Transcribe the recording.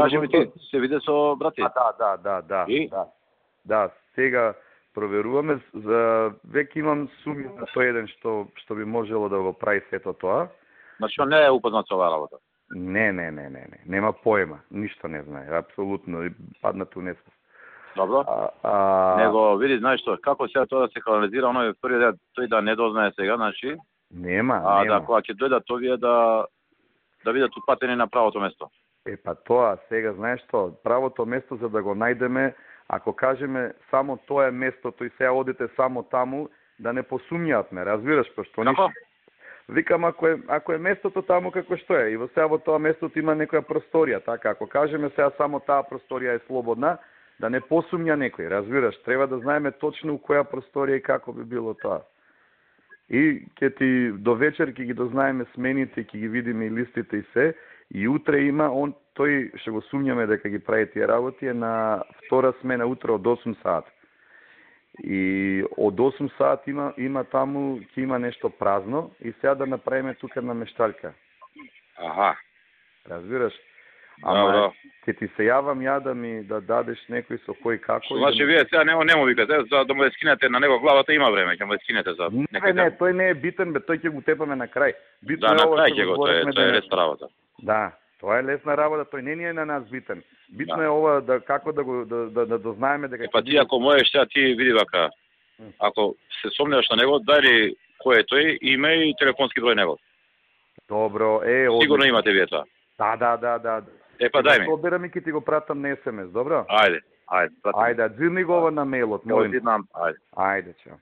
Кажи ми ти, се виде со брати? Да, сега проверуваме, за веќе имам суми на тој еден што би можело да го прави сето тоа. Значи, он не е упознат со оваа работа? Не, нема поема, ништо не знае, апсолутно, падна ту несвест. Добро. Него, види, знаеш што, како сега тоа да се канализира, оној првиот тој да не дознае сега, значи... Нема. Да, кога ќе дојдат овие да видат упатени на правото место. Па тоа, сега, знаеш што, правото место за да го најдеме, ако кажеме само тоа е местото и сега одите само таму, да не посумњаат ме, разбираш, пошто ништо. Викам, ако е местото таму како што е, и во сега во тоа местото има некоја просторија, така, ако кажеме сега само таа просторија е слободна, да не посумња некој, разбираш, треба да знаеме точно у која просторија и како би било тоа. И ќе ти до вечер ќе ги дознаеме смените, ќе ги видиме и листите и се, и утре има, тој ќе го сумњаме дека ги прави тие работи, е на втора смена утре од 8 саат. И од 8 саат има таму, ќе има нешто празно, и сега да направиме тука на мешталка. Аха. Разбираш? Ама ќе ти се јавам ја да ми да дадеш некој со кој како. Значи вие сега не му викате, за да му ја скинете на него главата има време, ќе му ја скинете за некој. Не, тој не е битен, тој ќе го тепаме на крај. Битно е ова што го говориме, тоа е лесна работа. Да, тоа е лесна работа, тој не е на нас битен. Битно е ова да како да дознаеме дека Па ти ако можеш сега ти види вака. Ако се сомневаш на него, дај кој е тој, име и телефонски број него. Добро, сигурно имате вие тоа. Да. Па дај ми. Соберам и ќе ти го пратам на SMS, добро? Ајде. Ајде, дзирни го ова на мејлот, молим. Ајде. Ајде, чао.